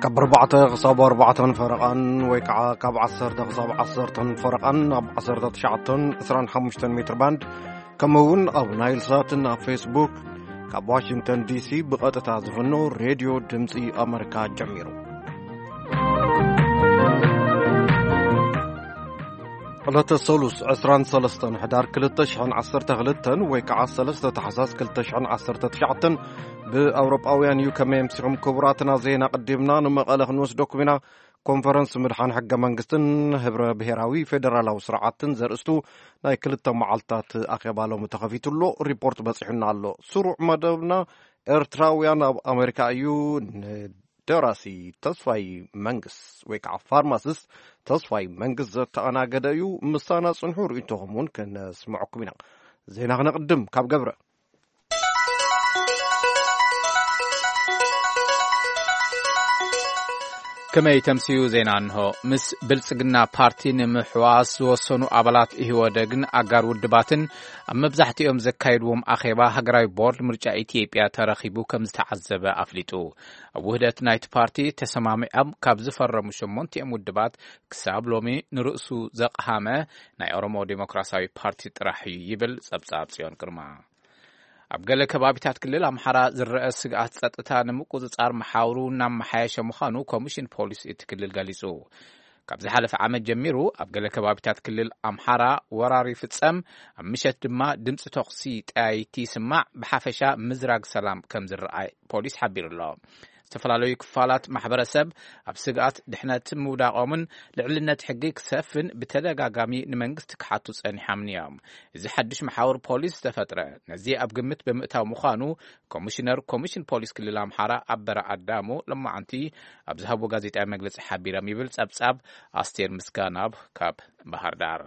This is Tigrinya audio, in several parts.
ካብ ኣርባዕተ ክሳብ ኣርባዕተን ፈረቓን ወይ ከዓ ካብ ዓሰርተ ክሳብ ዓሰርተን ፈረቓን ኣብ ዓሰርተ ትሽዓተን ዕስራን ሓሙሽተን ሜትር ባንድ፣ ከምኡ እውን ኣብ ናይል ሳትን ኣብ ፌስቡክ ካብ ዋሽንግተን ዲሲ ብቐጥታ ዝፍኖ ሬድዮ ድምፂ ኣመሪካ ጀሚሩ። ዕለተ ሰሉስ ዕስራን ሰለስተን ሕዳር ክልተ ሽሕን ዓሰርተ ክልተን ወይ ከዓ ሰለስተ ታሕሳስ ክልተ ሽሕን ዓሰርተ ትሽዓተን ብኣውሮጳውያን እዩ። ከመይ ኣምሲኹም ክቡራትና? ዜና ቀዲምና ንመቐለ ክንወስደኩም ኢና። ኮንፈረንስ ምድሓን ሕገ መንግስትን ህብረ ብሔራዊ ፌደራላዊ ስርዓትን ዘርእስቱ ናይ ክልተ መዓልታት ኣኼባ ሎሚ ተኸፊቱ ኣሎ። ሪፖርት በፂሑና ኣሎ። ስሩዕ መደብና ኤርትራውያን ኣብ ኣሜሪካ እዩ። ንደራሲ ተስፋይ መንግስ ወይ ከዓ ፋርማሲስት ተስፋይ መንግስ ዘተኣናገደ እዩ። ምሳና ፅንሑ፣ ርእይቶኹም እውን ክነስምዐኩም ኢና። ዜና ክነቕድም ካብ ገብረ። ከመይ ተምስዩ? ዜና እንሆ። ምስ ብልጽግና ፓርቲ ንምሕዋስ ዝወሰኑ ኣባላት ኢህወደግን ኣጋር ውድባትን ኣብ መብዛሕትኦም ዘካየድዎም ኣኼባ ሃገራዊ ቦርድ ምርጫ ኢትዮጵያ ተረኺቡ ከም ዝተዓዘበ ኣፍሊጡ። ኣብ ውህደት ናይቲ ፓርቲ ተሰማሚዖም ካብ ዝፈረሙ ሸሞንቲኦም ውድባት ክሳብ ሎሚ ንርእሱ ዘቕሃመ ናይ ኦሮሞ ዴሞክራሲያዊ ፓርቲ ጥራሕ እዩ ይብል ጸብጻብ ጽዮን ግርማ። ኣብ ገለ ከባቢታት ክልል ኣምሓራ ዝረአ ስግኣት ጸጥታ ንምቁጽጻር መሓውሩ እናመሓየሸ ምዃኑ ኮሚሽን ፖሊስ እቲ ክልል ገሊጹ። ካብ ዝሓለፈ ዓመት ጀሚሩ ኣብ ገለ ከባቢታት ክልል ኣምሓራ ወራር ይፍጸም፣ ኣብ ምሸት ድማ ድምጺ ተኹሲ ጠያይቲ ይስማዕ፣ ብሓፈሻ ምዝራግ ሰላም ከም ዝረኣይ ፖሊስ ሓቢሩ ኣሎ። ዝተፈላለዩ ክፋላት ማሕበረሰብ ኣብ ስግኣት ድሕነት ምውዳቖምን ልዕልነት ሕጊ ክሰፍን ብተደጋጋሚ ንመንግስቲ ክሓቱ ጸኒሖምን እዮም። እዚ ሓድሽ መሓውር ፖሊስ ዝተፈጥረ ነዚ ኣብ ግምት ብምእታው ምዃኑ ኮሚሽነር ኮሚሽን ፖሊስ ክልል ኣምሓራ ኣበረ ኣዳሙ ሎማዓንቲ ኣብ ዝሃብዎ ጋዜጣዊ መግለጺ ሓቢሮም ይብል ጸብጻብ ኣስቴር ምስጋናብ ካብ ባህር ዳር።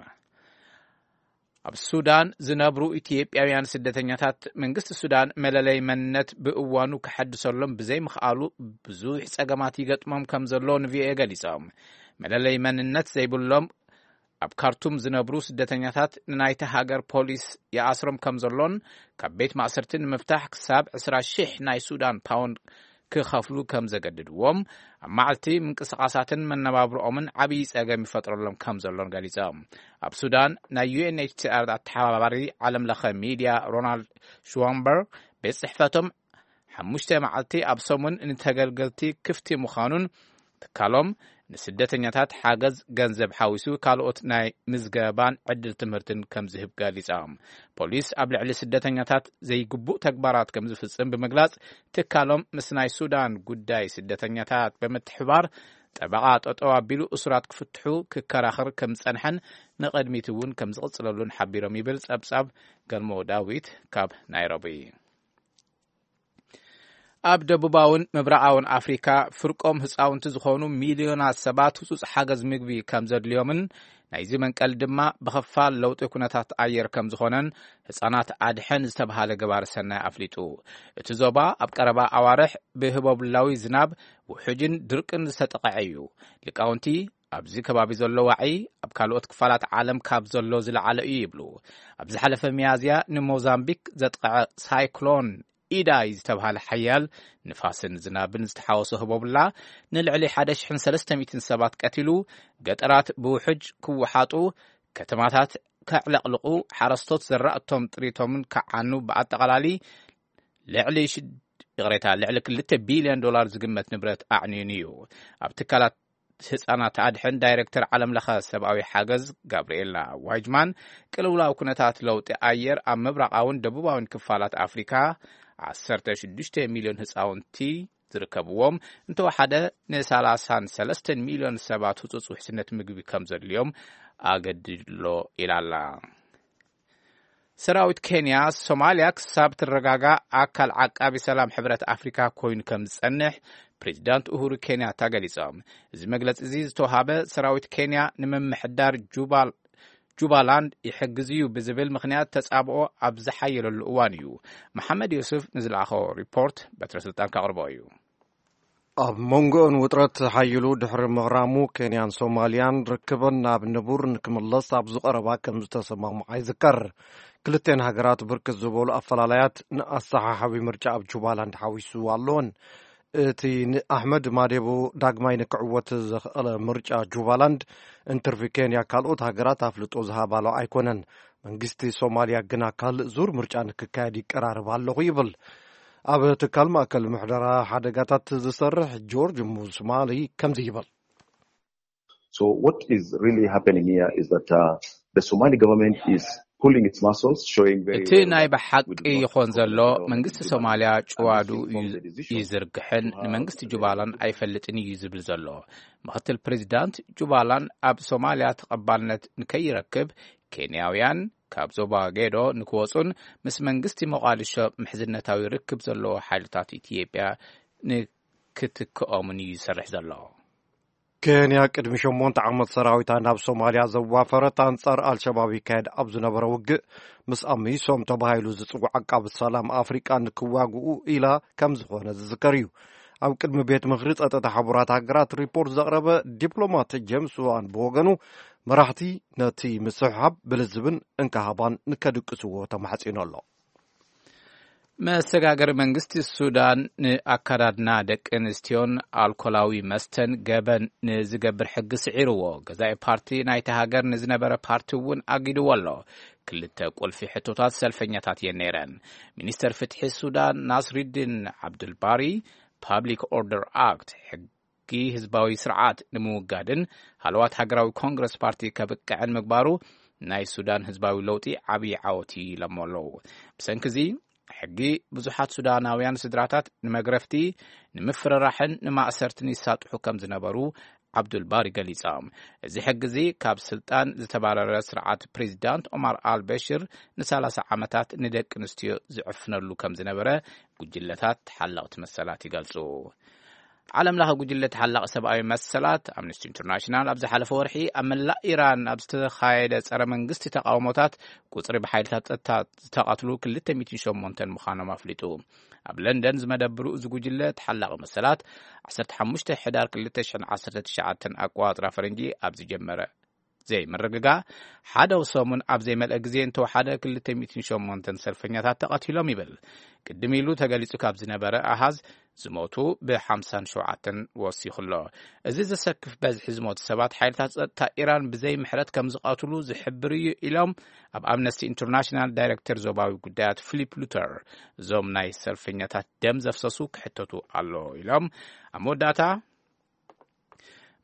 ኣብ ሱዳን ዝነብሩ ኢትዮጵያውያን ስደተኛታት መንግስቲ ሱዳን መለለይ መንነት ብእዋኑ ክሐድሰሎም ብዘይምኽኣሉ ብዙሕ ጸገማት ይገጥሞም ከም ዘሎ ንቪኦኤ ገሊጾም። መለለይ መንነት ዘይብሎም ኣብ ካርቱም ዝነብሩ ስደተኛታት ንናይቲ ሃገር ፖሊስ ይኣስሮም ከም ዘሎን ካብ ቤት ማእሰርቲ ንምፍታሕ ክሳብ ዕስራ ሺሕ ናይ ሱዳን ፓውንድ ክኸፍሉ ከም ዘገድድዎም፣ ኣብ መዓልቲ ምንቅስቓሳትን መነባብሮኦምን ዓብዪ ጸገም ይፈጥረሎም ከም ዘሎን ገሊጾም። ኣብ ሱዳን ናይ ዩ ኤን ኤች ሲ ኣር ኣተሓባባሪ ዓለም ለኸ ሚድያ ሮናልድ ሽዋምበር ቤት ጽሕፈቶም ሓሙሽተ መዓልቲ ኣብ ሰሙን ንተገልገልቲ ክፍቲ ምዃኑን ትካሎም ንስደተኛታት ሓገዝ ገንዘብ ሓዊሱ ካልኦት ናይ ምዝገባን ዕድል ትምህርትን ከም ዝህብ ገሊጾም። ፖሊስ ኣብ ልዕሊ ስደተኛታት ዘይግቡእ ተግባራት ከም ዝፍጽም ብምግላጽ ትካሎም ምስ ናይ ሱዳን ጉዳይ ስደተኛታት ብምትሕባር ጠበቓ ጠጠው ኣቢሉ እሱራት ክፍትሑ ክከራኸር ከም ዝጸንሐን ንቕድሚት እውን ከም ዝቕጽለሉን ሓቢሮም ይብል ጸብጻብ ገልሞ ዳዊት ካብ ናይሮቢ። ኣብ ደቡባውን ምብራቓውን ኣፍሪካ ፍርቆም ህፃውንቲ ዝኾኑ ሚልዮናት ሰባት ህፁፅ ሓገዝ ምግቢ ከም ዘድልዮምን ናይዚ መንቀል ድማ ብኸፋል ለውጢ ኩነታት ኣየር ከም ዝኾነን ህፃናት ኣድሕን ዝተብሃለ ገባሪ ሰናይ ኣፍሊጡ። እቲ ዞባ ኣብ ቀረባ ኣዋርሕ ብህቦብላዊ ዝናብ ውሑጅን ድርቅን ዝተጠቕዐ እዩ። ሊቃውንቲ ኣብዚ ከባቢ ዘሎ ዋዒ ኣብ ካልኦት ክፋላት ዓለም ካብ ዘሎ ዝለዓለ እዩ ይብሉ። ኣብ ዝሓለፈ ሚያዝያ ንሞዛምቢክ ዘጥቕዐ ሳይክሎን ኢዳይ ዝተብሃለ ሓያል ንፋስን ዝናብን ዝተሓወሶ ህቦብላ ንልዕሊ ሓደ ሽሕን ሰለስተ ሚእትን ሰባት ቀቲሉ፣ ገጠራት ብውሑጅ ክወሓጡ፣ ከተማታት ከዕለቕልቑ፣ ሓረስቶት ዘራእቶም ጥሪቶምን ክዓኑ፣ ብኣጠቓላሊ ልዕሊ ሽድ-፣ ይቕሬታ፣ ልዕሊ ክልተ ቢልዮን ዶላር ዝግመት ንብረት ኣዕንዩን እዩ። ኣብ ትካላት ህጻናት ኣድሕን ዳይሬክተር ዓለም ለኸ ሰብኣዊ ሓገዝ ጋብርኤላ ዋይጅማን፣ ቅልውላው ኩነታት ለውጢ ኣየር ኣብ ምብራቓውን ደቡባውን ክፋላት ኣፍሪካ ዓሰርተ ሽዱሽተ ሚልዮን ህጻውንቲ ዝርከብዎም እንተወሓደ ንሰላሳን ሰለስተን ሚልዮን ሰባት ህጹጽ ውሕስነት ምግቢ ከም ዘድልዮም ኣገዲድሎ ኢላ ኣላ። ሰራዊት ኬንያ ሶማልያ ክሳብ ትረጋጋእ ኣካል ዓቃቢ ሰላም ሕብረት ኣፍሪካ ኮይኑ ከም ዝጸንሕ ፕሬዚዳንት ኡሁሩ ኬንያታ ገሊጾም። እዚ መግለጺ እዚ ዝተውሃበ ሰራዊት ኬንያ ንምምሕዳር ጁባል-፣ ጁባላንድ ይሕግዝ እዩ ብዝብል ምኽንያት ተጻብኦ ኣብ ዝሓየለሉ እዋን እዩ። መሓመድ ዮሱፍ ንዝለኣኾ ሪፖርት በትረ ስልጣን ከቕርቦ እዩ። ኣብ መንጎኦን ውጥረት ሓይሉ ድሕሪ ምቕራሙ፣ ኬንያን ሶማልያን ርክበን ናብ ንቡር ንክምለስ ኣብ ዝቐረባ ከም ዝተሰማምዓ ይዝከር። ክልቴን ሃገራት ብርክት ዝበሉ ኣፈላላያት ንኣሰሓሓቢ ምርጫ ኣብ ጁባላንድ ሓዊሱ ኣለወን። እቲ ንኣሕመድ ማዴቦ ዳግማይ ንክዕወት ዘኽኣለ ምርጫ ጁባላንድ እንትርፊ ኬንያ ካልኦት ሃገራት ኣፍልጦ ዝሃባሎ ኣይኮነን። መንግስቲ ሶማልያ ግና ካልእ ዙር ምርጫ ንክካየድ ይቀራረብ ኣለኹ ይብል። ኣብ ትካል ማእከል ምሕደራ ሓደጋታት ዝሰርሕ ጆርጅ ሙስማሊ ከምዚ ይብል። So what is really happening here is that uh, the Somali government is pulling its muscles, showing very እቲ well ናይ that ብሓቂ with not ይኾን ዘሎ compromise on መንግስቲ human ሶማልያ and ጭዋዱ this informs the decision ይዝርግሕን to have ንመንግስቲ the ጁባላን ኣይፈልጥን እዩ ዝብል ዘሎ። ምክትል ፕሬዚዳንት ጁባላን ኣብ ሶማልያ ተቐባልነት ንከይረክብ ኬንያውያን ካብ ዞባ ጌዶ ንክወፁን ምስ መንግስቲ ሞቓዲሾ ምሕዝነታዊ ርክብ ዘለዎ ሓይልታት ኢትዮጵያ ንክትክኦምን እዩ ዝሰርሕ ዘሎ። ኬንያ ቅድሚ ሸሞንተ ዓመት ሰራዊታ ናብ ሶማልያ ዘዋፈረት ኣንጻር ኣልሸባብ ይካየድ ኣብ ዝነበረ ውግእ ምስ ኣሚሶም ተባሂሉ ዝጽዋዕ ዓቃቢ ሰላም ኣፍሪቃ ንክዋግኡ ኢላ ከም ዝኾነ ዝዝከር እዩ። ኣብ ቅድሚ ቤት ምኽሪ ጸጥታ ሕቡራት ሃገራት ሪፖርት ዘቕረበ ዲፕሎማት ጄምስ ዋን ብወገኑ መራሕቲ ነቲ ምስሕሓብ ብልዝብን እንካሃባን ንከድቅስዎ ተማሕጺኑ ኣሎ። መሰጋገሪ መንግስቲ ሱዳን ንኣካዳድና ደቂ ኣንስትዮን ኣልኮላዊ መስተን ገበን ንዝገብር ሕጊ ስዒርዎ። ገዛኢ ፓርቲ ናይቲ ሃገር ንዝነበረ ፓርቲ እውን ኣጊድዎ ኣሎ። ክልተ ቁልፊ ሕቶታት ሰልፈኛታት እየን ነይረን። ሚኒስተር ፍትሒ ሱዳን ናስሪዲን ዓብዱልባሪ ፓብሊክ ኦርደር ኣክት ሕጊ ህዝባዊ ስርዓት ንምውጋድን ሃለዋት ሃገራዊ ኮንግረስ ፓርቲ ከብቅዕን ምግባሩ ናይ ሱዳን ህዝባዊ ለውጢ ዓብዪ ዓወት እዩ ኢሎሞ ኣለዉ። ብሰንኪ እዚ ሕጊ ብዙሓት ሱዳናውያን ስድራታት ንመግረፍቲ፣ ንምፍርራሕን ንማእሰርትን ይሳጥሑ ከም ዝነበሩ ዓብዱልባሪ ገሊጾም። እዚ ሕጊ እዚ ካብ ስልጣን ዝተባረረ ስርዓት ፕሬዚዳንት ኦማር ኣልበሽር ንሰላሳ ዓመታት ንደቂ ኣንስትዮ ዝዕፍነሉ ከም ዝነበረ ጉጅለታት ተሓለቕቲ መሰላት ይገልጹ። ዓለም ለኸ ጉጅለ ተሓላቒ ሰብኣዊ መሰላት ኣምነስቲ ኢንተርናሽናል ኣብ ዝሓለፈ ወርሒ ኣብ መላእ ኢራን ኣብ ዝተኻየደ ጸረ መንግስቲ ተቃውሞታት ቁጽሪ ብሓይልታት ጸጥታ ዝተቐትሉ ክልተ ሚእትን ሸሞንተን ምዃኖም ኣፍሊጡ። ኣብ ለንደን ዝመደብሩ እዚ ጉጅለ ተሓላቒ መሰላት ዓሰርተ ሓሙሽተ ሕዳር ክልተ ሽሕን ዓሰርተ ትሽዓተን ኣቆጻጽራ ፈረንጂ ኣብ ዝጀመረ ዘይምርግጋእ ሓደ ሰሙን ኣብ ዘይመልአ ግዜ እንተወሓደ ክልተ ሚእትን ሸሞንተን ሰልፈኛታት ተቐቲሎም ይብል። ቅድም ኢሉ ተገሊጹ ካብ ዝነበረ ኣሃዝ ዝሞቱ ብሓምሳን ሸውዓተን ወሲኹ ኣሎ። እዚ ዘሰክፍ በዝሒ ዝሞቱ ሰባት ሓይልታት ጸጥታ ኢራን ብዘይ ምሕረት ከም ዝቐትሉ ዝሕብር እዩ ኢሎም ኣብ ኣምነስቲ ኢንተርናሽናል ዳይሬክተር ዞባዊ ጉዳያት ፊሊፕ ሉተር። እዞም ናይ ሰልፈኛታት ደም ዘፍሰሱ ክሕተቱ ኣሎ ኢሎም። ኣብ መወዳእታ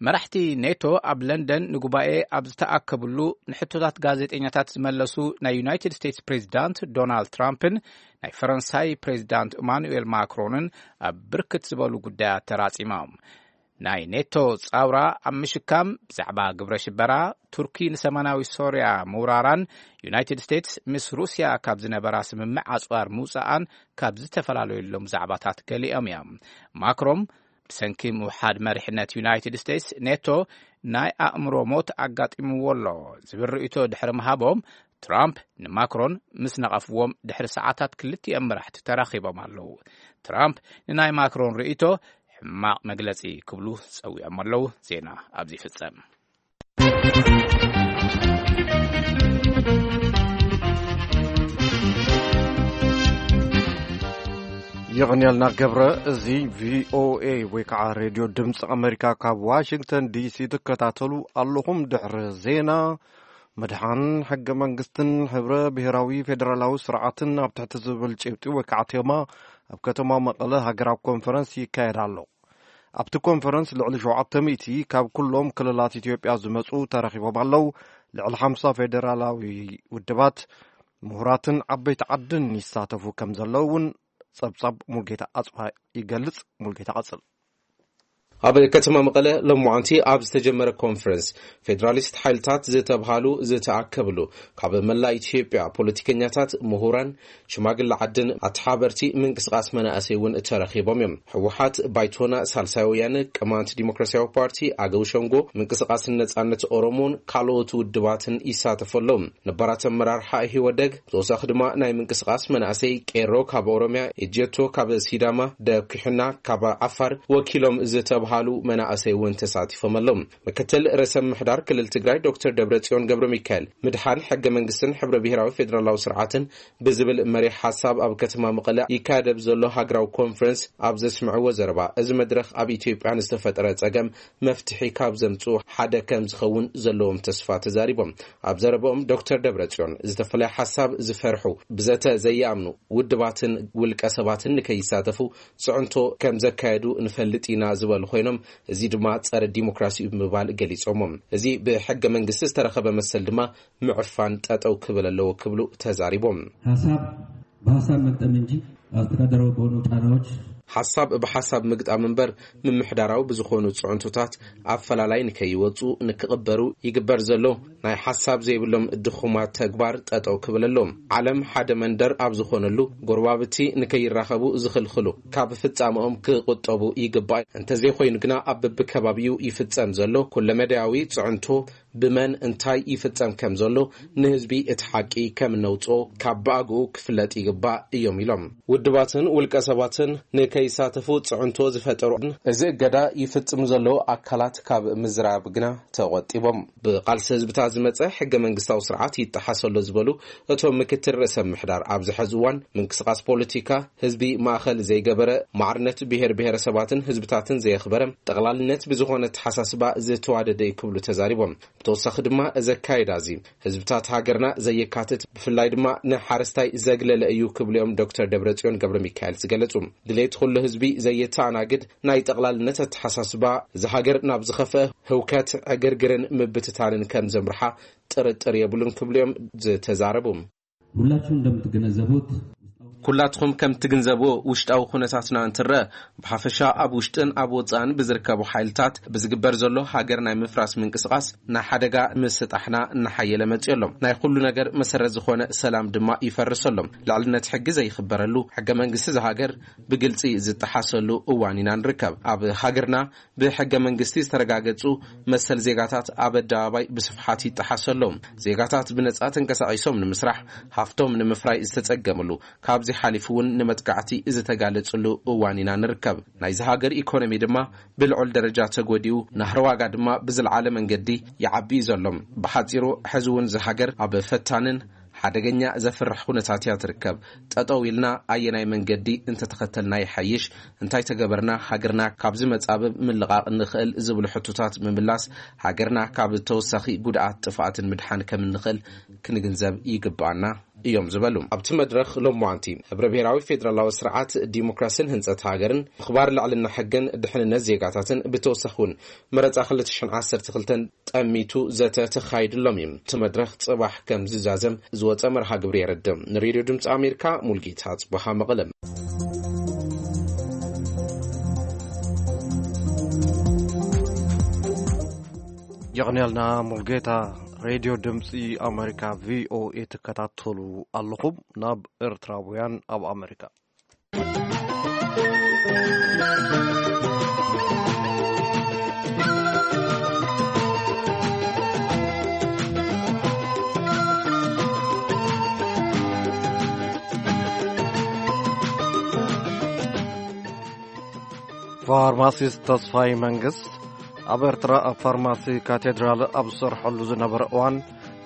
መራሕቲ ኔቶ ኣብ ለንደን ንጉባኤ ኣብ ዝተኣከብሉ ንሕቶታት ጋዜጠኛታት ዝመለሱ ናይ ዩናይትድ ስቴትስ ፕሬዚዳንት ዶናልድ ትራምፕን ናይ ፈረንሳይ ፕሬዚዳንት ኢማኑኤል ማክሮንን ኣብ ብርክት ዝበሉ ጉዳያት ተራጺሞም። ናይ ኔቶ ጻውራ ኣብ ምሽካም ብዛዕባ ግብረ ሽበራ፣ ቱርኪ ንሰማናዊ ሶርያ ምውራራን ዩናይትድ ስቴትስ ምስ ሩስያ ካብ ዝነበራ ስምምዕ ኣጽዋር ምውጻኣን ካብ ዝተፈላለየሎም ዛዕባታት ገሊኦም እዮም። ማክሮን ብሰንኪ ምውሓድ መሪሕነት ዩናይትድ ስቴትስ ኔቶ ናይ ኣእምሮ ሞት ኣጋጢምዎ ኣሎ ዝብል ርእይቶ ድሕሪ ምሃቦም ትራምፕ ንማክሮን ምስ ነቐፍዎም ድሕሪ ሰዓታት ክልቲኦም መራሕቲ ተራኺቦም ኣለዉ። ትራምፕ ንናይ ማክሮን ርእይቶ ሕማቕ መግለጺ ክብሉ ጸዊዖም ኣለዉ። ዜና ኣብዚ ይፍጸም። የቕንየልና ገብረ። እዚ ቪኦኤ ወይ ከዓ ሬድዮ ድምፂ ኣሜሪካ ካብ ዋሽንግተን ዲሲ ትከታተሉ ኣለኹም። ድሕሪ ዜና ምድሓን ሕገ መንግስትን ሕብረ ብሔራዊ ፌደራላዊ ስርዓትን ኣብ ትሕቲ ዝብል ጭብጢ ወይ ከዓ ቴማ ኣብ ከተማ መቐለ ሃገራዊ ኮንፈረንስ ይካየድ ኣሎ። ኣብቲ ኮንፈረንስ ልዕሊ ሸውዓተ ሚእቲ ካብ ኩሎም ክልላት ኢትዮጵያ ዝመፁ ተረኺቦም ኣለዉ። ልዕሊ ሓምሳ ፌደራላዊ ውድባት፣ ምሁራትን ዓበይቲ ዓድን ይሳተፉ ከም ዘለዉ እውን ጸብጻብ ሙልጌታ ኣጽባ ይገልጽ። ሙልጌታ ቀጽል። ኣብ ከተማ መቐለ ሎማዓንቲ ኣብ ዝተጀመረ ኮንፈረንስ ፌደራሊስት ሓይልታት ዝተብሃሉ ዝተኣከብሉ ካብ መላእ ኢትዮጵያ ፖለቲከኛታት፣ ምሁራን፣ ሽማግለ ዓድን ኣተሓበርቲ ምንቅስቃስ መናእሰይ እውን ተረኺቦም እዮም። ህወሓት፣ ባይቶና፣ ሳልሳይ ወያነ፣ ቅማንት ዲሞክራሲያዊ ፓርቲ፣ ኣገው ሸንጎ፣ ምንቅስቃስ ነጻነት ኦሮሞን ካልኦት ውድባትን ይሳተፉ ኣለዉ። ነባራት ኣመራርሓ ኢህወደግ ብተወሳኺ ድማ ናይ ምንቅስቃስ መናእሰይ ቄሮ ካብ ኦሮሚያ፣ ኤጀቶ ካብ ሲዳማ፣ ደኩሕና ካብ ዓፋር ወኪሎም ዝተብሃሉ ሃሉ መናእሰይ እውን ተሳቲፎም ኣለዉ። ምክትል ርእሰ ምምሕዳር ክልል ትግራይ ዶክተር ደብረጽዮን ገብረ ሚካኤል፣ ምድሓን ሕገ መንግስትን ሕብረ ብሔራዊ ፌዴራላዊ ስርዓትን ብዝብል መሪሕ ሓሳብ ኣብ ከተማ መቐለ ይካየድ ኣብ ዘሎ ሃገራዊ ኮንፈረንስ ኣብ ዘስምዕዎ ዘረባ፣ እዚ መድረኽ ኣብ ኢትዮጵያ ንዝተፈጠረ ጸገም መፍትሒ ካብ ዘምጽኡ ሓደ ከም ዝኸውን ዘለዎም ተስፋ ተዛሪቦም። ኣብ ዘረባኦም ዶክተር ደብረጽዮን፣ ዝተፈላለየ ሓሳብ ዝፈርሑ፣ ብዘተ ዘይኣምኑ ውድባትን ውልቀ ሰባትን ንከይሳተፉ ጽዕንቶ ከም ዘካየዱ ንፈልጥ ኢና ዝበሉ ኮይኖም፣ እዚ ድማ ጸረ ዲሞክራሲ እዩ ብምባል ገሊጾሞ። እዚ ብሕገ መንግስቲ ዝተረኸበ መሰል ድማ ምዕፋን ጠጠው ክብል ኣለዎ ክብሉ ተዛሪቦም። ሓሳብ ብሓሳብ መግጠም እንጂ ኣስተዳደራዊ በሆኑ ጫናዎች ሓሳብ ብሓሳብ ምግጣም እምበር፣ ምምሕዳራዊ ብዝኾኑ ጽዕንቶታት ኣፈላላይ ንከይወጹ ንክቕበሩ ይግበር ዘሎ ናይ ሓሳብ ዘይብሎም ድኹማት ተግባር ጠጠው ክብል ኣለዎም። ዓለም ሓደ መንደር ኣብ ዝኾነሉ፣ ጎረባብቲ ንከይራኸቡ ዝኽልኽሉ ካብ ፍጻመኦም ክቑጠቡ ይግባእ። እንተዘይኮይኑ ግና ኣብ በብከባቢኡ ይፍጸም ዘሎ ኩለመዳያዊ ጽዕንቶ ብመን እንታይ ይፍጸም ከም ዘሎ ንህዝቢ እቲ ሓቂ ከም እነውጽኦ ካብ ብኣግኡ ክፍለጥ ይግባእ እዮም ኢሎም። ውድባትን ውልቀ ሰባትን ንከይሳተፉ ጽዕንቶ ዝፈጠሩ፣ እዚ እገዳ ይፍጽሙ ዘለዉ ኣካላት ካብ ምዝራብ ግና ተቖጢቦም። ብቃልሲ ህዝብታት ዝመጸ ሕገ መንግስታዊ ስርዓት ይጠሓስ ኣሎ ዝበሉ እቶም ምክትል ርእሰ ምምሕዳር፣ ኣብዚ ሕዚ እዋን ምንቅስቃስ ፖለቲካ ህዝቢ ማእኸል ዘይገበረ፣ ማዕርነት ብሄር ብሄረሰባትን ህዝብታትን ዘየኽበረ፣ ጠቕላልነት ብዝኾነ ኣተሓሳስባ ዝተዋደደ እዩ ክብሉ ተዛሪቦም። ብተወሳኺ ድማ እዚ ኣካይዳ እዚ ህዝብታት ሃገርና ዘየካትት፣ ብፍላይ ድማ ንሓረስታይ ዘግለለ እዩ ክብሉ እዮም ዶክተር ደብረጽዮን ገብረ ሚካኤል ዝገለጹ። ድሌት ኩሉ ህዝቢ ዘየተኣናግድ ናይ ጠቕላልነት ኣተሓሳስባ እዚ ሃገር ናብ ዝኸፍአ ህውከት፣ ዕግርግርን ምብትታንን ከም ዘምርሓ ጥርጥር የብሉን ክብሉ እዮም ዝተዛረቡ። ሁላችሁ እንደምትገነዘቡት ኩላትኹም ከም ትግንዘብዎ ውሽጣዊ ኩነታትና እንትረአ ብሓፈሻ ኣብ ውሽጥን ኣብ ወጻእን ብዝርከቡ ሓይልታት ብዝግበር ዘሎ ሃገር ናይ ምፍራስ ምንቅስቓስ ናይ ሓደጋ ምስጣሕና እናሓየለ መጺኡ ኣሎ። ናይ ኩሉ ነገር መሰረት ዝኾነ ሰላም ድማ ይፈርስ ኣሎ። ልዕልነት ሕጊ ዘይኽበረሉ፣ ሕገ መንግስቲ ዝሃገር ብግልጺ ዝጠሓሰሉ እዋን ኢና ንርከብ። ኣብ ሃገርና ብሕገ መንግስቲ ዝተረጋገጹ መሰል ዜጋታት ኣብ ኣደባባይ ብስፍሓት ይጠሓሱ ኣለዉ። ዜጋታት ብነጻ ተንቀሳቒሶም ንምስራሕ፣ ሃፍቶም ንምፍራይ ዝተጸገምሉ፣ ካብዚ ሓሊፉ እውን ንመጥቃዕቲ ዝተጋለጽሉ እዋን ኢና ንርከብ። ናይዚ ሃገር ኢኮኖሚ ድማ ብልዑል ደረጃ ተጎዲኡ፣ ናህሪ ዋጋ ድማ ብዝለዓለ መንገዲ ይዓቢ እዩ ዘሎ። ብሓጺሩ፣ ሕዚ እውን እዚ ሃገር ኣብ ፈታንን ሓደገኛ ዘፍርሕ ኩነታት እያ ትርከብ። ጠጠው ኢልና ኣየናይ መንገዲ እንተተኸተልና ይሓይሽ፣ እንታይ ተገበርና ሃገርና ካብዚ መጻብብ ምልቓቕ ንኽእል ዝብሉ ሕቶታት ምምላስ፣ ሃገርና ካብ ተወሳኺ ጉድኣት ጥፍኣትን ምድሓን ከም እንኽእል ክንግንዘብ ይግብኣና እዮም ዝበሉ። ኣብቲ መድረኽ ሎማዓንቲ፣ ሕብረ ብሔራዊ ፌደራላዊ ስርዓት፣ ዲሞክራስን ህንጸት ሃገርን፣ ምኽባር ልዕልና ሕግን ድሕንነት ዜጋታትን፣ ብተወሳኺ እውን መረጻ ክልተ ሽሕን ዓሰርተ ክልተን ጠሚቱ ዘተ ተኻይድሎም እዩ። እቲ መድረኽ ጽባሕ ከም ዝዛዘም ዝወጸ መርሃ ግብሪ የረድእ። ንሬድዮ ድምፂ ኣሜሪካ ሙልጌታ ጽቡሃ መቐለ። የቕንየልና ሙልጌታ። ሬድዮ ድምፂ ኣሜሪካ፣ ቪኦኤ፣ ትከታተሉ ኣለኹም። ናብ ኤርትራውያን ኣብ ኣሜሪካ። ፋርማሲስት ተስፋይ መንግስት ኣብ ኤርትራ ኣብ ፋርማሲ ካቴድራል ኣብ ዝሰርሐሉ ዝነበረ እዋን፣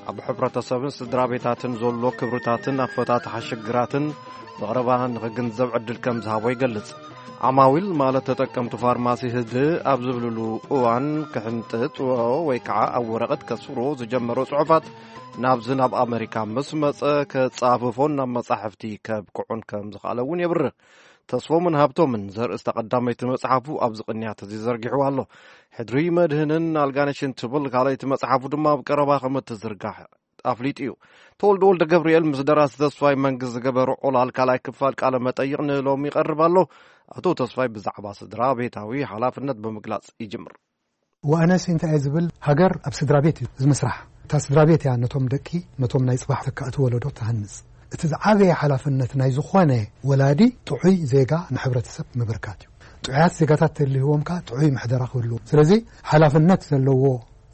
ኣብ ሕብረተሰብን ስድራ ቤታትን ዘሎ ክብርታትን ኣፈታትሓ ሽግራትን ብቐረባ ንኽግንዘብ ዕድል ከም ዝሃቦ ይገልጽ። ዓማዊል ማለት ተጠቀምቲ ፋርማሲ ህድእ ኣብ ዝብልሉ እዋን፣ ክሕንጥጥዎ ወይ ከዓ ኣብ ወረቐት ከስፍርዎ ዝጀመሮ ጽሑፋት ናብዚ ናብ ኣመሪካ ምስ መጸ፣ ከጻፍፎን ናብ መጻሕፍቲ ከብቅዑን ከም ዝኽኣለ እውን የብርህ። ተስፎምን ሃብቶምን ዘርእስታ ቀዳመይቲ መጽሓፉ ኣብዚ ቅንያት እዚ ዘርጊሕዋ ኣሎ። ሕድሪ መድህንን ኣልጋነሽን ትብል ካልኣይቲ መጽሓፉ ድማ ኣብ ቀረባ ከም እትዝርጋሕ ኣፍሊጡ እዩ። ተወልደ ወልደ ገብርኤል ምስ ደራሲ ተስፋይ መንግስት ዝገበሮ ዑላል ካልኣይ ክፋል ቃለ መጠይቕ ንሎሚ ይቐርብ ኣሎ። ኣቶ ተስፋይ ብዛዕባ ስድራ ቤታዊ ሓላፍነት ብምግላጽ ይጅምር። ወኣነስ እንታይ እየ ዝብል፣ ሃገር ኣብ ስድራ ቤት እዩ ዝምስራሕ። እታ ስድራ ቤት እያ ነቶም ደቂ፣ ነቶም ናይ ጽባሕ ተካእቲ ወለዶ ትሃንጽ። እቲ ዝዓበየ ሓላፍነት ናይ ዝኾነ ወላዲ ጥዑይ ዜጋ ንሕብረተሰብ ምብርካት እዩ። ጥዑያት ዜጋታት ተልህዎም ከኣ ጥዑይ ምሕደራ ክህልዎ። ስለዚ ሓላፍነት ዘለዎ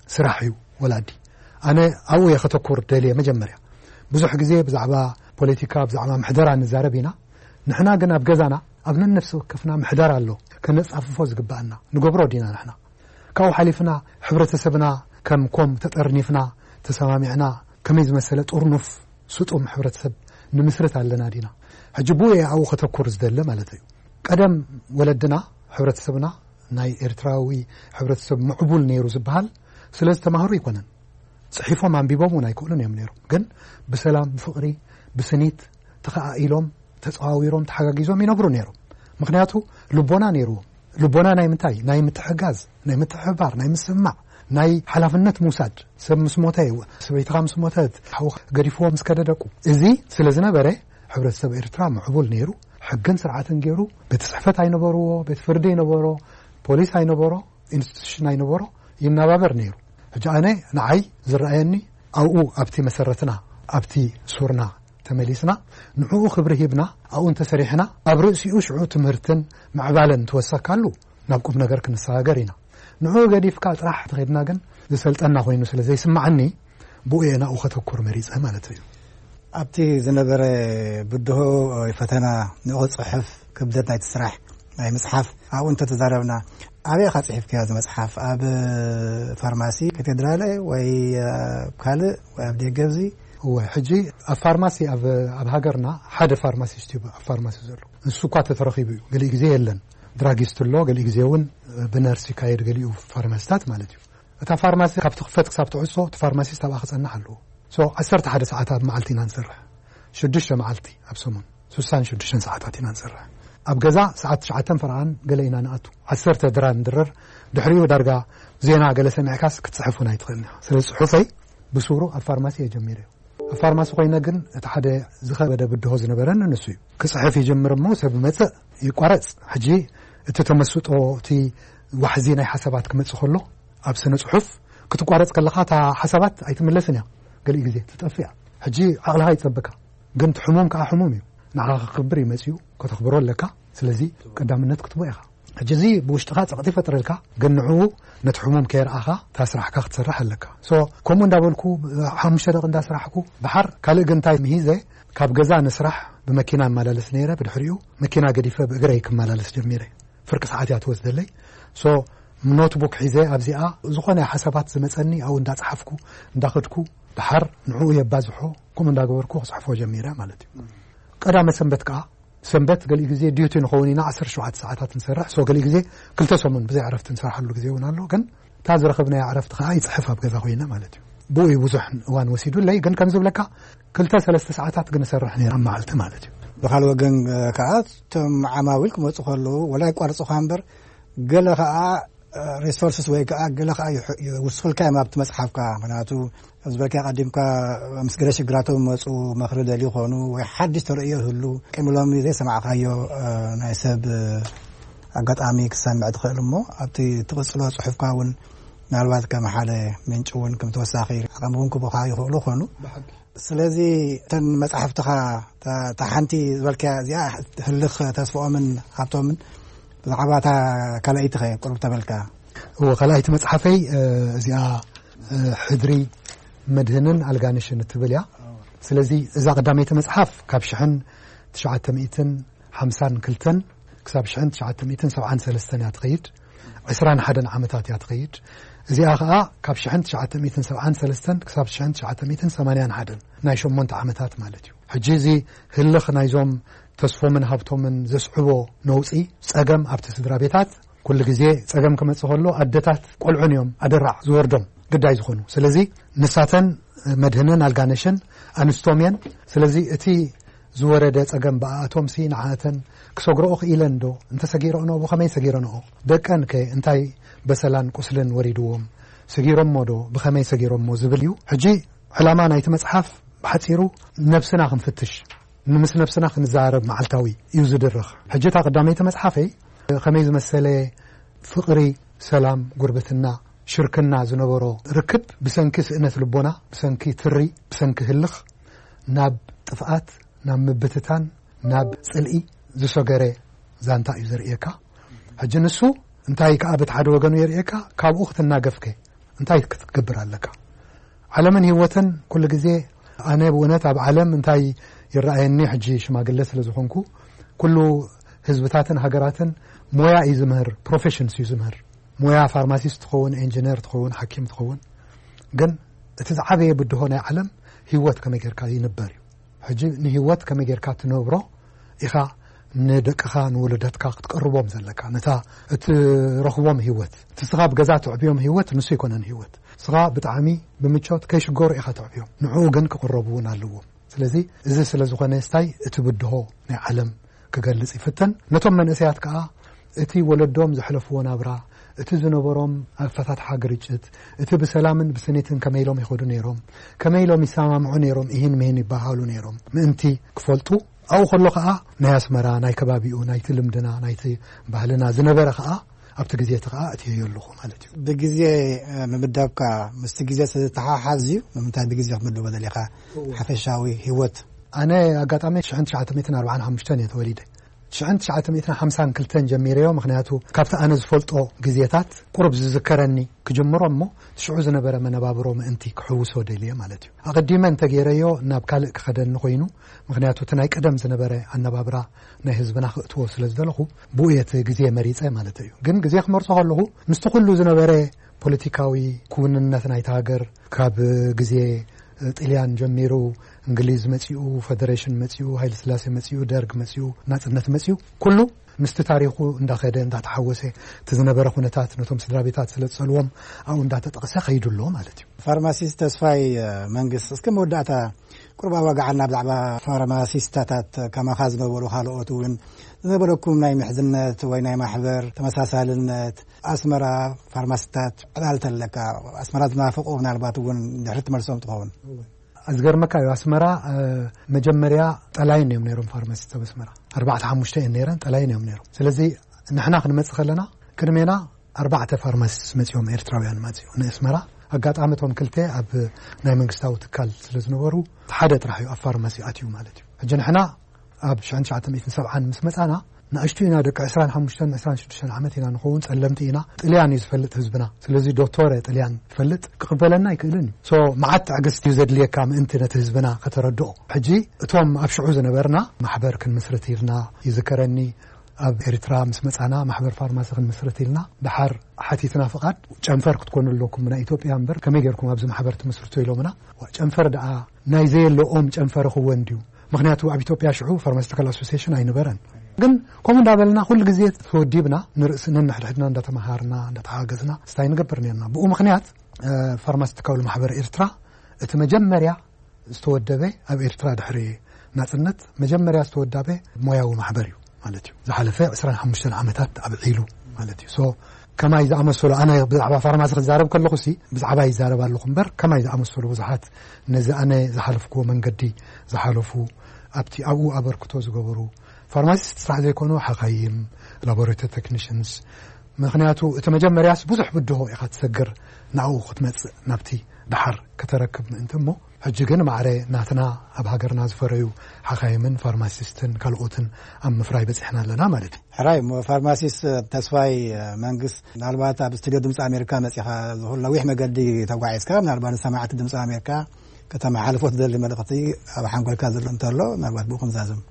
ስራሕ እዩ ወላዲ። ኣነ ኣብኡ እየ ከተኩር ደልየ። መጀመርያ ብዙሕ ግዜ ብዛዕባ ፖለቲካ፣ ብዛዕባ ምሕደራ ንዛረብ ኢና። ንሕና ግን ኣብ ገዛና ኣብ ነነፍሲ ወከፍና ምሕደራ ኣሎ። ከነጻፍፎ ዝግባኣና ንገብሮ ዲና ንሕና። ካብኡ ሓሊፍና ሕብረተሰብና ከም ኮም ተጠርኒፍና ተሰማሚዕና ከመይ ዝመሰለ ጥርኑፍ ስጡም ሕብረተሰብ ንምስርት ኣለና ዲና? ሕጂ ብኡ እየ ኣብኡ ከተኩር ዝደለ ማለት እዩ። ቀደም ወለድና፣ ሕብረተሰብና፣ ናይ ኤርትራዊ ሕብረተሰብ ምዕቡል ነይሩ ዝበሃል ስለ ዝተማህሩ ኣይኮነን። ጽሒፎም ኣንቢቦም እውን ኣይክእሉን እዮም ነይሮም። ግን ብሰላም፣ ብፍቕሪ፣ ብስኒት ተኸኣኢሎም፣ ተጸዋዊሮም፣ ተሓጋጊዞም ይነብሩ ነይሮም። ምኽንያቱ ልቦና ነይርዎም። ልቦና ናይ ምንታይ? ናይ ምትሕጋዝ፣ ናይ ምትሕብባር፣ ናይ ምስማዕ፣ ናይ ሓላፍነት ምውሳድ። ሰብ ምስ ሞተ፣ ሰበይትኻ ምስ ሞተት፣ ሓውኻ ገዲፍዎ ምስ ከደ ደቁ። እዚ ስለ ዝነበረ ሕብረተሰብ ኤርትራ ምዕቡል ነይሩ። ሕግን ስርዓትን ገይሩ፣ ቤት ጽሕፈት ኣይነበርዎ፣ ቤት ፍርዲ ኣይነበሮ፣ ፖሊስ ኣይነበሮ፣ ኢንስቲቱሽን ኣይነበሮ፣ ይናባበር ነይሩ። ሕጂ ኣነ ንዓይ ዝረኣየኒ ኣብኡ ኣብቲ መሰረትና ኣብቲ ሱርና ተመሊስና ንዕኡ ክብሪ ሂብና ኣብኡ እንተሰሪሕና ኣብ ርእሲኡ ሽዑ ትምህርትን ምዕባለን ትወሰካሉ ናብ ቁም ነገር ክንሰጋገር ኢና። ንዕኡ ገዲፍካ ጥራሕ ተኸድና ግን ዝሰልጠና ኮይኑ ስለ ዘይስማዓኒ ብኡ እየ ናብኡ ከተኩር መሪጸ ማለት እዩ። ኣብቲ ዝነበረ ብድሆ ወይ ፈተና ንኡ ክጽሕፍ ክብደት ናይቲ ስራሕ ናይ ምጽሓፍ ኣብኡ እንተተዛረብና፣ ኣበይ ኢኻ ጽሒፍካዮ እዚ መጽሓፍ? ኣብ ፋርማሲ ካቴድራለ ወይ ኣብ ካልእ ወይ ኣብ ደገ? እዚ እወ፣ ሕጂ ኣብ ፋርማሲ ኣብ ኣብ ሃገርና ሓደ ፋርማሲስት እዩ ኣብ ፋርማሲ ዘሎ። ንሱ እኳ ተተረኺቡ እዩ፣ ገሊኡ ግዜ የለን። ድራጊስት ኣሎ፣ ገሊኡ ግዜ እውን ብነርስ ይካየድ፣ ገሊኡ ፋርማሲታት ማለት እዩ። እታ ፋርማሲ ካብ ትኽፈት ክሳብ ትዕጾ እቲ ፋርማሲስት ኣብኣ ክጸንሕ ኣለዎ። ሶ ዓሰርተ ሓደ ሰዓት ኣብ መዓልቲ ኢና ንሰርሕ። ሽዱሽተ መዓልቲ ኣብ ሰሙን ስሳን ሽዱሽተን ሰዓታት ኢና ንሰርሕ። ኣብ ገዛ ሰዓት ትሽዓተን ፈረቓን ገለ ኢና ንኣቱ። ዓሰርተ ድራር ንድረር። ድሕሪኡ ዳርጋ ዜና ገለ ሰሚዕካስ ክትጽሕፍ እውን ኣይትኽእልን ኢኻ። ስለዚ ጽሑፈይ ብሱሩ ኣብ ፋርማሲ እየ ጀሚረዮ። ኣብ ፋርማሲ ኮይነ ግን እቲ ሓደ ዝኸበደ ብድሆ ዝነበረኒ ንሱ እዩ። ክጽሕፍ ይጅምር እሞ ሰብ ይመጽእ ይቋረጽ። ሕጂ እቲ ተመስጦ፣ እቲ ዋሕዚ ናይ ሓሳባት ክመጽእ ከሎ ኣብ ስነ ጽሑፍ ክትቋረጽ ከለኻ እታ ሓሳባት ኣይትምለስን እያ። ገሊኡ ግዜ ትጠፍእ እያ። ሕጂ ዓቕልኻ ይጸበካ። ግን እቲ ሕሙም ከኣ ሕሙም እዩ። ንዓኻ ክኽብር እዩ መጺኡ፣ ከተኽብሮ ኣለካ። ስለዚ ቀዳምነት ክትቦ ኢኻ። ሕጂ እዚ ብውሽጥኻ ጸቕጢ ይፈጥረልካ፣ ግን ንዕኡ ነቲ ሕሙም ከየርኣኻ እታ ስራሕካ ክትሰርሕ ኣለካ። ሶ ከምኡ እንዳበልኩ ሓሙሽተ ደቂ እንዳስራሕኩ ድሓር ካልእ ግን እንታይ ምሂዘ፣ ካብ ገዛ ንስራሕ ብመኪና እመላለስ ነይረ። ብድሕሪኡ መኪና ገዲፈ ብእግረይ ክመላለስ ጀሚረ። ፍርቂ ሰዓት እያ ትወስደለይ። ሶ ኖትቡክ ሒዘ ኣብዚኣ ዝኾነ ሓሳባት ዝመጸኒ ኣብኡ እንዳጸሓፍኩ እንዳኸድኩ ድሓር ንዕኡ የባዝሖ፣ ከምኡ እንዳገበርኩ ክጽሕፎ ጀሚረ ማለት እዩ። ቀዳመ ሰንበት ከኣ፣ ሰንበት ገሊኡ ግዜ ዲዩቲ ንኸውን ኢና ዓሰርተ ሸውዓተ ሰዓታት ንሰርሕ። ሶ ገሊኡ ግዜ ክልተ ሰሙን ብዘይ ዕረፍቲ ንሰርሓሉ ግዜ እውን ኣሎ። ግን እታ ዝረኸብናያ ዕረፍቲ ከኣ ይጽሕፍ ኣብ ገዛ ኮይነ ማለት እዩ። ብኡ እዩ ብዙሕ እዋን ወሲዱለይ። ግን ከም ዝብለካ ክልተ ሰለስተ ሰዓታት ግን እሰርሕ ነይረ ኣብ መዓልቲ ማለት እዩ። ብኻልእ ወገን ከኣ እቶም ዓማዊል ክመጹ ከለዉ ወላ ይቋርጹኻ እምበር ገለ ከኣ ሪሶርስስ ወይ ከኣ ገለ ከኣ ይውስኹልካ እዮም ኣብቲ መጽሓፍካ። ምክንያቱ ዝበልካ ቀዲምካ ምስ ገለ ሽግራቶም መጹ መኽሪ ደልዩ ይኾኑ ወይ ሓድሽ ተርእዮ ይህሉ ቅድሚ ሎሚ ዘይሰማዕካዮ ናይ ሰብ ኣጋጣሚ ክትሰምዕ ትኽእል እሞ ኣብቲ ትቕጽሎ ጽሑፍካ እውን ምናልባት ከም ሓደ ምንጭ እውን ከም ተወሳኺ ዓቐሚ እውን ክቡኻ ይኽእሉ ይኾኑ። ስለዚ እተን መጻሕፍትኻ እታ ሓንቲ ዝበልካያ እዚኣ ህልኽ ተስፍኦምን ሃብቶምን ብዛዕባ እታ ካልኣይቲ ኸ ቁሩብ ተበልካ? እወ፣ ካልኣይቲ መጽሓፈይ እዚኣ ሕድሪ መድህንን ኣልጋንሽን እትብል እያ። ስለዚ እዛ ቀዳመይቲ መጽሓፍ ካብ ሽሕን ትሽዓተ ሚእትን ሓምሳን ክልተን ክሳብ ሽሕን ትሽዓተ ሚእትን ሰብዓን ሰለስተን እያ ትኸይድ። ዕስራን ሓደን ዓመታት እያ ትኸይድ። እዚኣ ኸኣ ካብ ሽሕን ትሽዓተ ሚእትን ሰብዓን ሰለስተን ክሳብ ሽሕን ትሽዓተ ሚእትን ሰማንያን ሓደን ናይ ሸሞንተ ዓመታት ማለት እዩ። ሕጂ እዚ ህልኽ ናይዞም ተስፎምን ሃብቶምን ዘስዕቦ ነውጺ፣ ጸገም ኣብቲ ስድራ ቤታት፣ ኩሉ ግዜ ጸገም ክመጽእ ከሎ ኣደታት ቆልዑን እዮም ኣደራዕ ዝወርዶም ግዳይ ዝኾኑ። ስለዚ ንሳተን መድህንን ኣልጋነሽን ኣንስቶም እየን። ስለዚ እቲ ዝወረደ ጸገም ብኣኣቶምሲ ንዓኣተን ክሰግረኦ ክኢለን ዶ? እንተሰጊረኦንኦ ብኸመይ ሰጊረንኦ? ደቀን ከ እንታይ በሰላን ቁስልን ወሪድዎም? ሰጊሮሞ ዶ? ብኸመይ ሰጊሮሞ? ዝብል እዩ። ሕጂ ዕላማ ናይቲ መጽሓፍ ብሓጺሩ ነብስና ክንፍትሽ፣ ንምስ ነብስና ክንዛረብ መዓልታዊ እዩ ዝድርኽ። ሕጂ እታ ቀዳመይቲ መጽሓፈይ ከመይ ዝመሰለ ፍቕሪ፣ ሰላም፣ ጉርብትና፣ ሽርክና ዝነበሮ ርክብ ብሰንኪ ስእነት ልቦና፣ ብሰንኪ ትሪ፣ ብሰንኪ ህልኽ ናብ ጥፍኣት፣ ናብ ምብትታን፣ ናብ ጽልኢ ዝሰገረ ዛንታ እዩ ዘርእየካ። ሕጂ ንሱ እንታይ ከኣ በቲ ሓደ ወገኑ የርእየካ፣ ካብኡ ክትናገፍከ እንታይ ክትገብር ኣለካ? ዓለምን ህይወትን ኩሉ ግዜ ኣነ ብእውነት ኣብ ዓለም እንታይ ይረኣየኒ፣ ሕጂ ሽማግለ ስለ ዝኾንኩ ኩሉ ህዝብታትን ሃገራትን ሞያ እዩ ዝምህር፣ ፕሮፌሽንስ እዩ ዝምህር። ሞያ ፋርማሲስት ትኸውን፣ ኢንጂነር ትኸውን፣ ሓኪም ትኸውን፣ ግን እቲ ዝዓበየ ብድሆ ናይ ዓለም ህይወት ከመይ ጌርካ ይንበር እዩ። ሕጂ ንህይወት ከመይ ጌርካ ትነብሮ ኢኻ ንደቅኻ ንወለደትካ ክትቀርቦም ዘለካ፣ ነታ እትረኽቦም ህይወት። እቲ ስኻ ብገዛ ትዕብዮም ህይወት ንሱ ኣይኮነን ህይወት። ስኻ ብጣዕሚ ብምቾት ከይሽገሩ ኢኻ ትዕብዮም፣ ንዕኡ ግን ክቕረቡ እውን ኣለዎም። ስለዚ እዚ ስለ ዝኾነ ስታይ እቲ ብድሆ ናይ ዓለም ክገልጽ ይፍተን። ነቶም መንእሰያት ከኣ እቲ ወለዶም ዘሕለፍዎ ናብራ፣ እቲ ዝነበሮም ኣፈታትሓ ግርጭት፣ እቲ ብሰላምን ብስኒትን ከመይ ኢሎም ይኸዱ ነይሮም፣ ከመይ ኢሎም ይሰማምዑ ነይሮም፣ ይህን ምሂን ይበሃሉ ነይሮም ምእንቲ ክፈልጡ፣ ኣብኡ ከሎ ከኣ ናይ ኣስመራ፣ ናይ ከባቢኡ፣ ናይቲ ልምድና፣ ናይቲ ባህልና ዝነበረ ከኣ ኣብቲ ግዜ እቲ ከኣ እትየዮ ኣለኹ ማለት እዩ። ብግዜ ምምዳብካ ምስቲ ግዜ ዝተሓሓዝ እዩ። ንምንታይ ብግዜ ክትምድቦ ደሊኻ? ሓፈሻዊ ህይወት። ኣነ ኣጋጣሚ ሽሕን ትሽዓተ ሚእትን ኣርባዓን ሓሙሽተን እየ ተወሊደ። ሽሕን ትሽዓተ ሚእትን ሓምሳን ክልተን ጀሚረዮ፣ ምክንያቱ ካብቲ ኣነ ዝፈልጦ ግዜታት ቁሩብ ዝዝከረኒ ክጅምሮ እሞ ሽዑ ዝነበረ መነባብሮ ምእንቲ ክሕውሶ ደልየ ማለት እዩ። ኣቐዲመ እንተገይረዮ ናብ ካልእ ክኸደኒ ኮይኑ፣ ምክንያቱ እቲ ናይ ቀደም ዝነበረ ኣነባብራ ናይ ህዝብና ክእትዎ ስለ ዝደለኹ ብኡ እየ እቲ ግዜ መሪጸ ማለት እዩ። ግን ግዜ ክመርጾ ከለኹ ምስቲ ኩሉ ዝነበረ ፖለቲካዊ ክውንነት ናይቲ ሃገር ካብ ግዜ ጥልያን ጀሚሩ፣ እንግሊዝ መጺኡ፣ ፈደሬሽን መጺኡ፣ ሃይለ ስላሴ መጺኡ፣ ደርግ መጺኡ፣ ናጽነት መጺኡ፣ ኩሉ ምስቲ ታሪኹ እንዳኸደ እንዳተሓወሰ እቲ ዝነበረ ኩነታት ነቶም ስድራ ቤታት ስለ ዝጸልዎም ኣብኡ እንዳተጠቕሰ ከይዱ ኣሎ ማለት እዩ። ፋርማሲስት ተስፋይ መንግስት፣ እስከ መወዳእታ ቁርባ ዋጋዓልና ብዛዕባ ፋርማሲስታታት ከማኻ ዝነበሩ ካልኦት እውን ዝነበረኩም ናይ ምሕዝነት ወይ ናይ ማሕበር ተመሳሳልነት ኣስመራ ፋርማሲታት ዕላል ተለካ ኣስመራ ዝናፍቁ ምናልባት እውን ድሕሪ ትመልሶም ትኸውን። ኣዝገርመካ እዩ ኣስመራ መጀመርያ ጠላይን እዮም ነይሮም ፋርማሲስት ኣብ ኣስመራ ኣርባዕተ ሓሙሽተ እየን ነይረን ጠላይን እዮም ነይሮም። ስለዚ ንሕና ክንመጽእ ከለና ቅድሜና ኣርባዕተ ፋርማሲስት መጺኦም ኤርትራውያን መጺኡ ንኣስመራ። ኣጋጣሚ እቶም ክልተ ኣብ ናይ መንግስታዊ ትካል ስለ ዝነበሩ ሓደ ጥራሕ እዩ ኣብ ፋርማሲ ኣትዩ ማለት እዩ። ሕጂ ንሕና ኣብ ሽሕን ትሽዓተ ሚእትን ሰብዓን ምስ መጻና ንኣሽቱ ኢና፣ ደቂ ዕስራን ሓሙሽተን ዕስራን ሽዱሽተን ዓመት ኢና ንኸውን፣ ጸለምቲ ኢና። ጥልያን እዩ ዝፈልጥ ህዝብና። ስለዚ ዶክተር ጥልያን ይፈልጥ ክቕበለና ኣይክእልን እዩ። ሶ መዓት ትዕግስቲ እዩ ዘድልየካ ምእንቲ ነቲ ህዝብና ከተረድኦ። ሕጂ እቶም ኣብ ሽዑ ዝነበርና ማሕበር ክንምስርት ኢልና ይዝከረኒ። ኣብ ኤርትራ ምስ መጻና ማሕበር ፋርማሲ ክንምስርት ኢልና ድሓር ሓቲትና ፍቓድ። ጨንፈር ክትኮኑ ኣለኩም ናይ ኢትዮጵያ እምበር ከመይ ጌርኩም ኣብዚ ማሕበር ትምስርቱ ኢሎምና። ጨንፈር ደኣ ናይ ዘየለኦም ጨንፈር ክወን ድዩ? ምክንያቱ ኣብ ኢትዮጵያ ሽዑ ፋርማሲቲካል ኣሶሲሽን ኣይነበረን። ግን ከምኡ እንዳበልና ኩሉ ግዜ ተወዲብና ንርእሲ ነንሕድሕድና እንዳተመሃርና እንዳተሓገዝና ስታይ ንገብር ነርና። ብኡ ምክንያት ፋርማሲቲካል ማሕበር ኤርትራ እቲ መጀመርያ ዝተወደበ ኣብ ኤርትራ ድሕሪ ናጽነት መጀመርያ ዝተወዳበ ሞያዊ ማሕበር እዩ ማለት እዩ። ዝሓለፈ ዕስራን ሓሙሽተን ዓመታት ኣብዒሉ ማለት እዩ። ሶ ከማይ ዝኣመሰሉ ኣነ ብዛዕባ ፋርማሲ ክዛረብ ከለኹ ሲ ብዛዕባ ይዛረብ ኣለኹ እምበር ከማይ ዝኣመሰሉ ብዙሓት ነዚ ኣነ ዝሓለፍኩዎ መንገዲ ዝሓለፉ ኣብቲ ኣብኡ ኣበርክቶ ዝገበሩ ፋርማሲስት ስራሕ ዘይኮኑ ሓኻይም ላቦራቶሪ ቴክኒሽንስ ምክንያቱ እቲ መጀመርያስ ብዙሕ ብድሆ ኢኻ ትሰግር ናብኡ ክትመጽእ ናብቲ ደሓር ከተረክብ ምእንቲ እሞ ሕጂ ግን ማዕረ ናትና ኣብ ሃገርና ዝፈረዩ ሓኻይምን ፋርማሲስትን ካልኦትን ኣብ ምፍራይ በጺሕና ኣለና ማለት እዩ። ሕራይ እሞ ፋርማሲስት ተስፋይ መንግስት ምናልባት ኣብ ስቱድዮ ድምፂ ኣሜሪካ መፂኻ ዝኹል ነዊሕ መገዲ ተጓዒዝካ ምናልባት ንሰማዕቲ ድምፂ ኣሜሪካ ከተመሓልፎ ትደሊ መልእኽቲ ኣብ ሓንጎልካ ዘሎ እንተሎ ምናልባት ብኡ ክንዛዝም።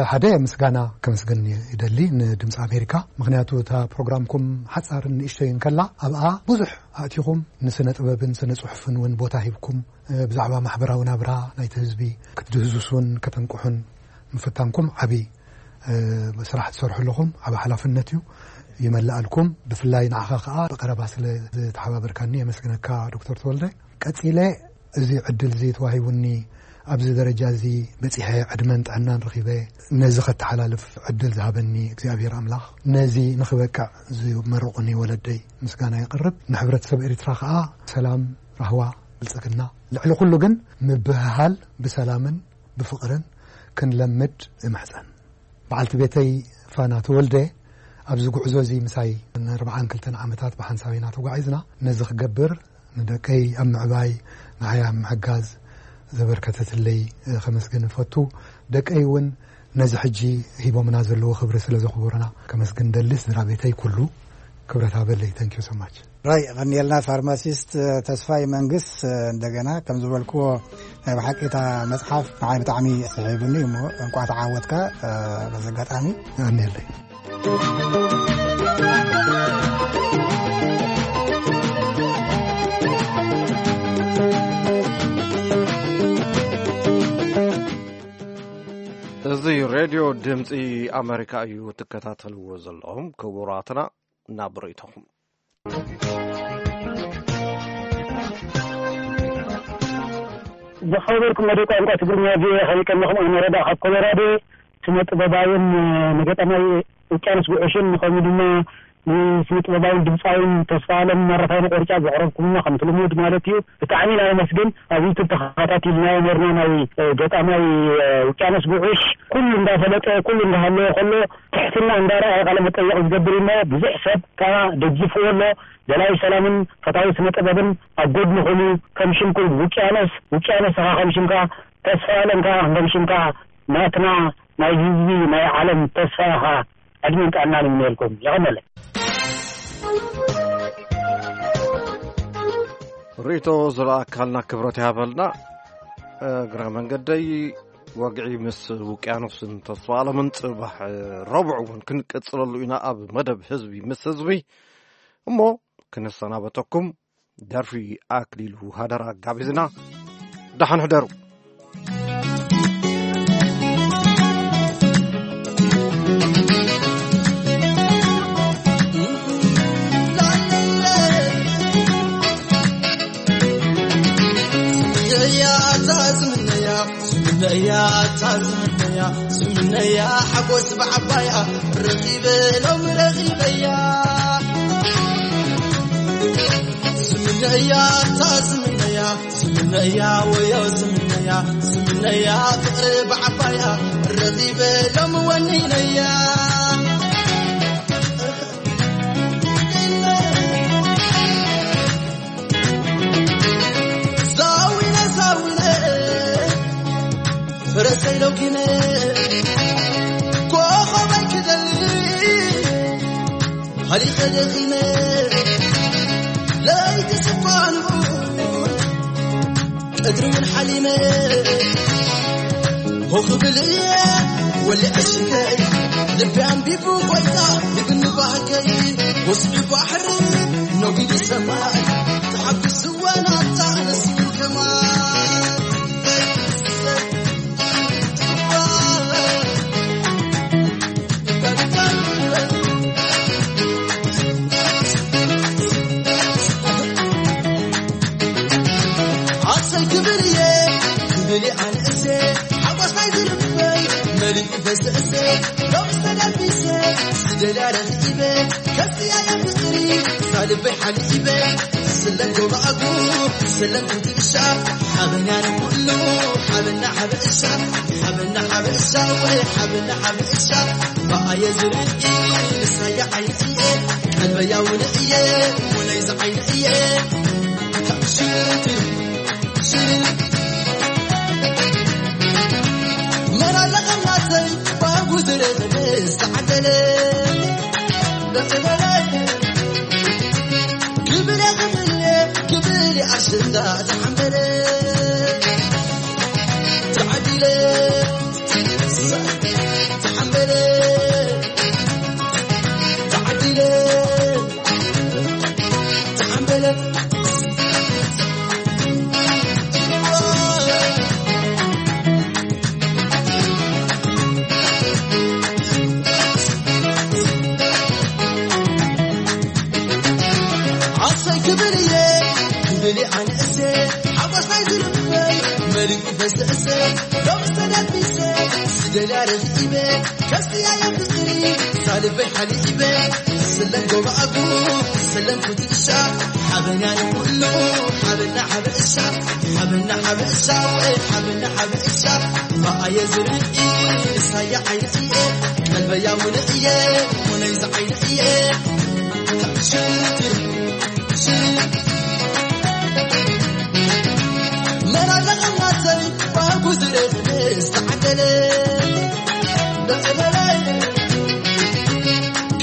ሓደ ምስጋና ከመስግን ይደሊ ንድምፂ ኣሜሪካ ምክንያቱ እታ ፕሮግራምኩም ሓፃርን ንእሽቶይ እንከላ ኣብኣ ብዙሕ ኣእቲኹም ንስነ ጥበብን ስነ ፅሑፍን እውን ቦታ ሂብኩም ብዛዕባ ማሕበራዊ ናብራ ናይቲ ህዝቢ ክትድህዝሱን ከተንቅሑን ምፍታንኩም ዓብዪ ስራሕ ትሰርሑ ኣለኹም። ዓቢ ሓላፍነት እዩ ይመልኣልኩም። ብፍላይ ንዓኻ ከዓ ብቀረባ ስለ ዝተሓባበርካኒ የመስግነካ ዶክተር ተወልደ። ቀፂለ እዚ ዕድል እዚ ተዋሂቡኒ ኣብዚ ደረጃ እዚ በፂሐ ዕድመን ጥዕናን ረኺበ ነዚ ከተሓላልፍ ዕድል ዝሃበኒ እግዚኣብሔር ኣምላኽ ነዚ ንኽበቅዕ ዝመረቑኒ ወለደይ ምስጋና የቕርብ። ንሕብረተሰብ ኤርትራ ከዓ ሰላም፣ ራህዋ፣ ብልፅግና ልዕሊ ኩሉ ግን ምብህሃል ብሰላምን ብፍቕርን ክንለምድ እምሕፀን። በዓልቲ ቤተይ ፋና ተወልደ ኣብዚ ጉዕዞ እዚ ምሳይ ንኣርብዓን ክልተን ዓመታት ብሓንሳብ ኢና ተጓዒዝና። ነዚ ክገብር ንደቀይ ኣብ ምዕባይ ንዓይ ኣብ ምሕጋዝ ዘበርከተትለይ ከመስግን እፈቱ። ደቀይ እውን ነዚ ሕጂ ሂቦምና ዘለዎ ክብሪ ስለ ዘኽብሩና ከመስግን ደሊ። ስድራ ቤተይ ኩሉ ክብረት ሃበለይ። Thank you so much። ራይ ቀኒልና ፋርማሲስት ተስፋይ መንግስ እንደገና ከም ዝበልክዎ ናይ ብሓቂ እታ መፅሓፍ ንዓይ ብጣዕሚ ስሒቡኒ እሞ እንቋዕ ተዓወትካ በዚ ኣጋጣሚ። የቐንየለይ። እዚ ሬድዮ ድምፂ ኣመሪካ እዩ ትከታተልዎ ዘለኹም ክቡራትና። ናብ ርእይቶኹም። ዝኸበርኩም መደብ ቋንቋ ትግርኛ ቪኦኤ፣ ከመይ ቀኒኹም? ኣነ ረዳ ካብ ኮሎራዶ፣ ስነ ጥበባውን ንገጣማይ ውቅያኖስ ጉዑሽን፣ ከምኡ ድማ ንስነ ጥበባውን ድምፃውን ተስፋ ኣለም ማረፋይነ ቆሪጫ ዘቕረብኩምና ከምቲ ልሙድ ማለት እዩ። ብጣዕሚ ኢና ነመስግን። ኣብ ዩቱብ ተኸታቲልናዮ ነርና ናይ ገጣማይ ውቅያኖስ ጉዑሽ፣ ኩሉ እንዳፈለጠ ኩሉ እንዳሃለወ ከሎ ትሕትና እንዳረኣየ ቃለ መጠየቕ ዝገብር እዩ እሞ ብዙሕ ሰብ ከዓ ደጊፍዎ ኣሎ። ደላይ ሰላምን ፈታዊ ስነ ጥበብን ኣብ ጎድንኹም እዩ። ከም ሽምኩም ውቅያኖስ፣ ውቅያኖስ ኢኻ ከም ሽምካ፣ ተስፋ ኣለም ከዓ ከም ሽምካ ናትና ናይ ህዝቢ ናይ ዓለም ተስፋ ኢኻ። ዕድመን ጥዕናን ይምነየልኩም። የቐነለ። ርእይቶ ዝረኣካልና ክብረት ይሃበልና። እግረ መንገደይ ወግዒ ምስ ውቅያኖስን ተስፋ ኣለምን ጽባሕ ረቡዕ እውን ክንቀጽለሉ ኢና ኣብ መደብ ህዝቢ ምስ ህዝቢ። እሞ ክነሰናበተኩም ደርፊ ኣክሊሉ ሃደራ ጋቢዝና። ደሓን ሕደሩ። ስምነያ ሓጎስ ብዓባያ ረኺበ ሎም ረኺበያ። ስምነያ እታ ስምነያ፣ ስምነያ ወዮ ስምነያ፣ ስምነያ ፍቕሪ ብዓባያ ረኺበ ሎም ወኒነያ። ዛዊነ ዛዊነ ፍረሰይ ሎኪነ ኮኸበይ ክደሊ ሃሊኸ ደኺመ ለይቲ ስኳኑ ቀድሪ እውን ሓሊመ ኮኽብል እየ ወሊዐ ሽከይ ልቢ ኣንቢቡ ጎይታ ይግኒ ባህገይ ወስዱ ባሕሪ ነጒዱ ሰማይ ተሓጒሱ ወናታ ነስዩ ከማን። ኣሰይ ክብል እየ ክብል እየ ኣንእሰ ሓጎስ ናይ ዝልበይ መሊኡ በስእሰ ሎም ዝተደቢሰ ዝደልያ ረኺበ ከዚኣ እያ ፍቕሪ ሳልበይ ሓሊበ ስለን ጎባኣጉ ስለን ክትእሻ ሓበና ንኩሉ ሓበና ሓበእሻ ሓበና ሓበእሻ ወይ ሓበና ሓበእሻ ብኣየ ዝርኢ ንሳያ ዓይነ እየ ቀልበያ ውነ እየ ውነይ ዝዓይነ እየ ሽቲ ሽቲ መላለቐም ናተይ ባጉ ዝረኸበ ዝተዓደለ ደቕበለ ክብል ክብል ክብል ኣሽንዳ ተሓንበለ ተዓዲለ ተሓንበለ ተዓዲለ ተሓንበለ ዓሰይ ክብል እየ ክብል ኣንእሰ ሓጎስ ናይ ዝልበይ መሊኡ በስእሰ ሎም ዝተደቢሰ ዝደልያ ረኺበ ከስትያ እየ ፍቕሪ ሳልበይ ሓሊበ ስለን ጎባኣጉ ስለን ክትእሻ ሓበና ንኩሉ ሓበና ሓበእሻ ሓበና ሓበእሻ ወይ ሓበና ሓበእሻ ብኣየ ዝርኢ ንሳያ ዓይነ እየ ቀልበያ ውነ እየ ውነይ ዝዓይነ እየ ሽቲ ሽቲ መላለቐም ናተይ ባጉ ዝረኽበ ዝተዓደለ ደቕበለ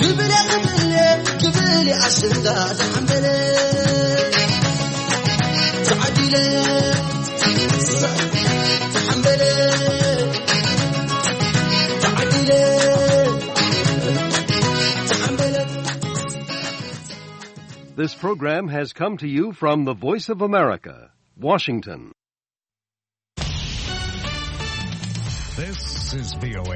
ክብል ክብል ክብል ኣሽንዳ ተሓንበለ ተዓዲለ ተሓንበለ ተዓዲለ This program has come to you from the Voice of America, Washington. This is V O A